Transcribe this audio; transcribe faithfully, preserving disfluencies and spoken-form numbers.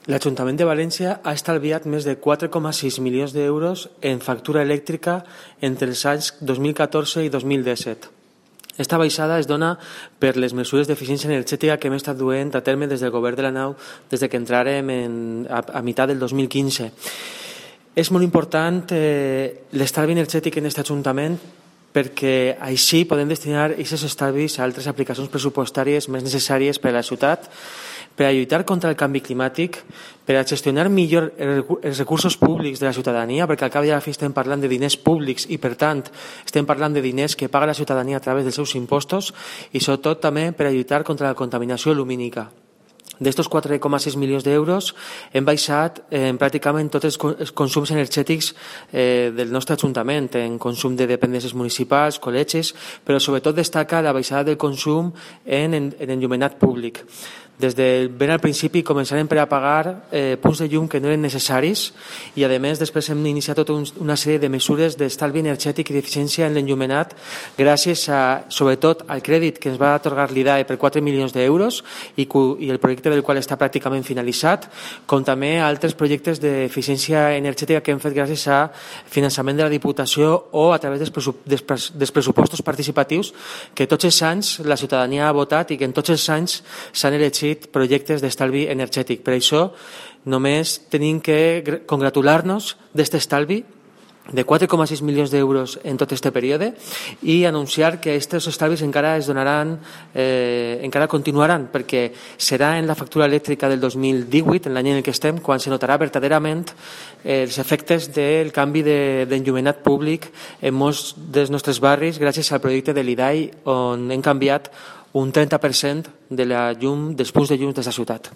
L'Ajuntament de València ha estalviat més de quatre coma sis milions d'euros en factura elèctrica entre els anys dos mil catorze i dos mil disset. Esta baixada es dona per les mesures d'eficiència energètica que hem estat duent a terme des del govern de la nau des de que entrarem en, a, a meitat del dos mil quinze. És molt important eh, l'estalvi energètic en aquest Ajuntament perquè així podem destinar aquests estalvis a altres aplicacions pressupostàries més necessàries per a la ciutat, per a lluitar contra el canvi climàtic, per a gestionar millor els recursos públics de la ciutadania, perquè al cap i a la fi estem parlant de diners públics i, per tant, estem parlant de diners que paga la ciutadania a través dels seus impostos i, sobretot, també per a lluitar contra la contaminació lumínica. D'estos quatre coma sis milions d'euros hem baixat en pràcticament tots els consums energètics eh, del nostre Ajuntament, en consum de dependències municipals, col·legis, però sobretot destaca la baixada del consum en, en, en enllumenat públic. Des de ben al principi començarem per a pagar eh, punts de llum que no eren necessaris i, a més, després hem iniciat tota un, una sèrie de mesures d'estalvi energètic i d'eficiència en l'enllumenat gràcies, a, sobretot, al crèdit que ens va atorgar l'I D A E per quatre milions d'euros i, i el projecte del qual està pràcticament finalitzat, com també altres projectes d'eficiència energètica que hem fet gràcies a finançament de la Diputació o a través dels, pressup dels, dels pressupostos participatius que tots els anys la ciutadania ha votat i que en tots els anys s'han elegit projectes d'estalvi energètic. Per això només tenim que congratular-nos d'aquest estalvi de quatre coma sis milions d'euros en tot aquest període i anunciar que aquests estalvis encara es donaran, eh, encara continuaran, perquè serà en la factura elèctrica del dos mil divuit, en l'any en què estem, quan se notarà verdaderament eh, els efectes del canvi d'enllumenat de, públic en molts dels nostres barris gràcies al projecte de l'I D A E, on hem canviat un trenta per cent de la llum, dels punts de llum de la ciutat.